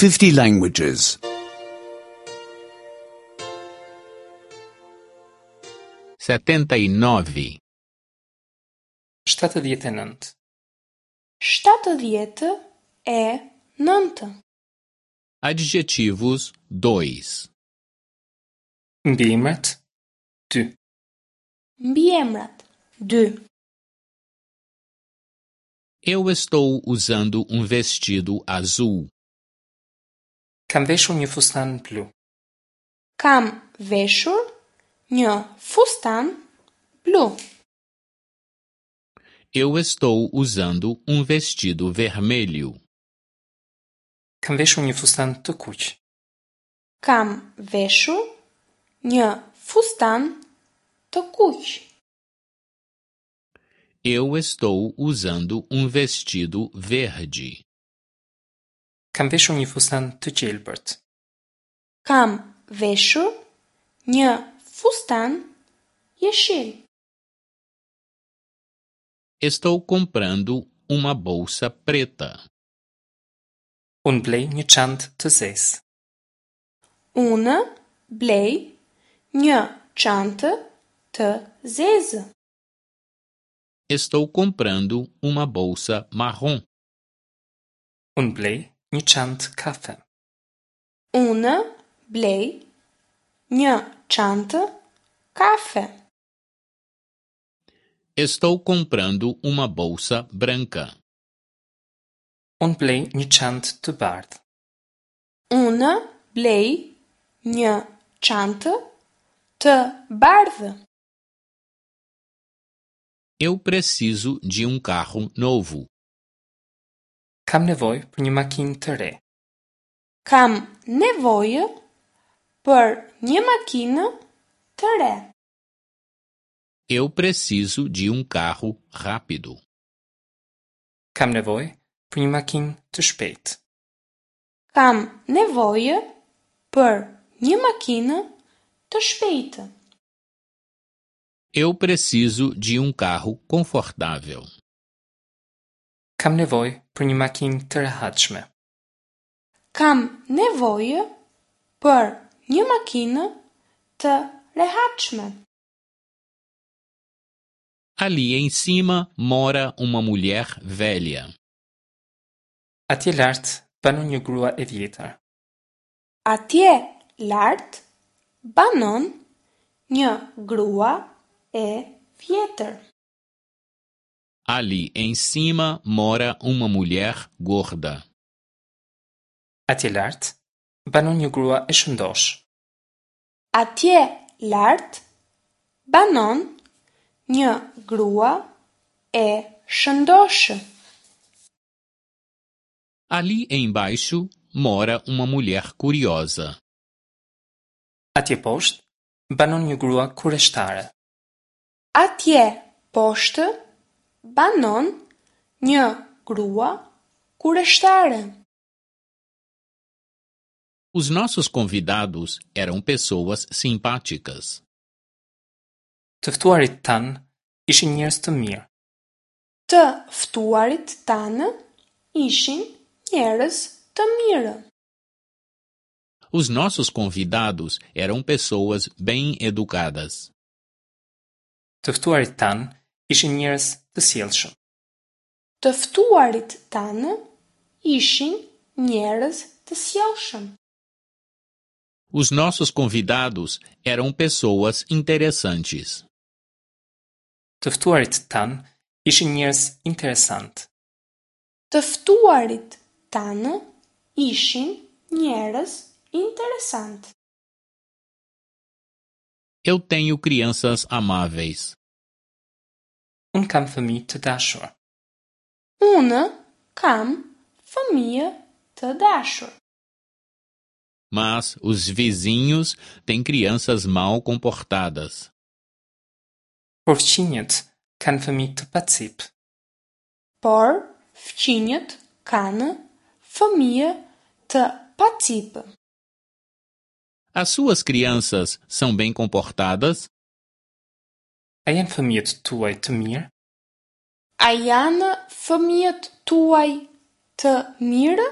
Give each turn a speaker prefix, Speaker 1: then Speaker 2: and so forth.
Speaker 1: 50 languages.
Speaker 2: 79.
Speaker 3: 79.
Speaker 4: 79.
Speaker 2: Adjetivos 2.
Speaker 3: Mbiemrat 2.
Speaker 4: Mbiemrat 2.
Speaker 2: Eu estou usando um vestido azul.
Speaker 3: Kam veshur një fustan blu.
Speaker 4: Kam veshur një fustan blu.
Speaker 2: Eu estou usando um vestido vermelho.
Speaker 3: Kam veshur një fustan të kuq.
Speaker 4: Kam veshur një fustan të kuq.
Speaker 2: Eu estou usando um vestido verde.
Speaker 3: Kam veshur një fustan të gjelbërt.
Speaker 4: Kam veshur një fustan jeshil.
Speaker 2: Estou comprando uma bolsa preta.
Speaker 3: Unë blej një çantë të zezë.
Speaker 4: Unë blej një çantë të zezë.
Speaker 2: Estou comprando uma bolsa marrom.
Speaker 3: Unë blej një çantë kafe.
Speaker 4: Unë blej një çantë kafe.
Speaker 2: Estou comprando uma bolsa branca.
Speaker 3: Unë blej një çantë të bardhë.
Speaker 4: Unë blej një çantë të bardhë.
Speaker 2: Eu preciso de um carro novo.
Speaker 3: Kam nevojë për një makinë të re.
Speaker 4: Kam nevojë për një makinë të re.
Speaker 2: Eu preciso de um carro rápido.
Speaker 3: Kam nevojë për një makinë të shpejtë.
Speaker 4: Kam nevojë për një makinë të shpejtë.
Speaker 2: Eu preciso de um carro confortável.
Speaker 3: Kam nevojë për një makinë të rehatshme.
Speaker 4: Kam nevojë për një makinë të rehatshme.
Speaker 2: Ali em cima mora uma mulher velha.
Speaker 3: Atje lart banon një grua e vjetër.
Speaker 4: Atje lart banon një grua e vjetër.
Speaker 2: Ali em cima mora uma mulher gorda.
Speaker 3: Atje lart banon një grua e shëndoshë.
Speaker 4: Atje lart banon një grua e shëndoshë.
Speaker 2: Ali embaixo mora uma mulher curiosa.
Speaker 3: Atje poshtë banon një grua kureshtare.
Speaker 4: Atje poshtë banon një grua kureshtare.
Speaker 2: Os nossos convidados eram pessoas simpáticas.
Speaker 3: Të ftuarit tanë ishin njerëz të mirë.
Speaker 4: Të ftuarit tanë ishin njerëz të mirë.
Speaker 2: Os nossos convidados eram pessoas bem educadas.
Speaker 3: Të ftuarit tanë ishin njerëz të sjellshëm.
Speaker 4: Të ftuarit tanë ishin njerëz të sjellshëm.
Speaker 2: Os nossos convidados eram pessoas interessantes.
Speaker 3: Të ftuarit tanë ishin njerëz interesantë.
Speaker 4: Të ftuarit tanë ishin njerëz interesantë.
Speaker 2: Eu tenho crianças amáveis.
Speaker 3: Unë kam fëmijë të dashur.
Speaker 4: Unë kam fëmijë të dashur.
Speaker 2: Mas os vizinhos têm crianças mal comportadas.
Speaker 3: Por fqinjët kanë fëmijë të pacipë.
Speaker 4: Por fqinjët kanë fëmijë të pacipë.
Speaker 2: As suas crianças são bem comportadas?
Speaker 3: A janë fëmijët tuaj të mirë?
Speaker 4: A janë fëmijët tuaj të mirë?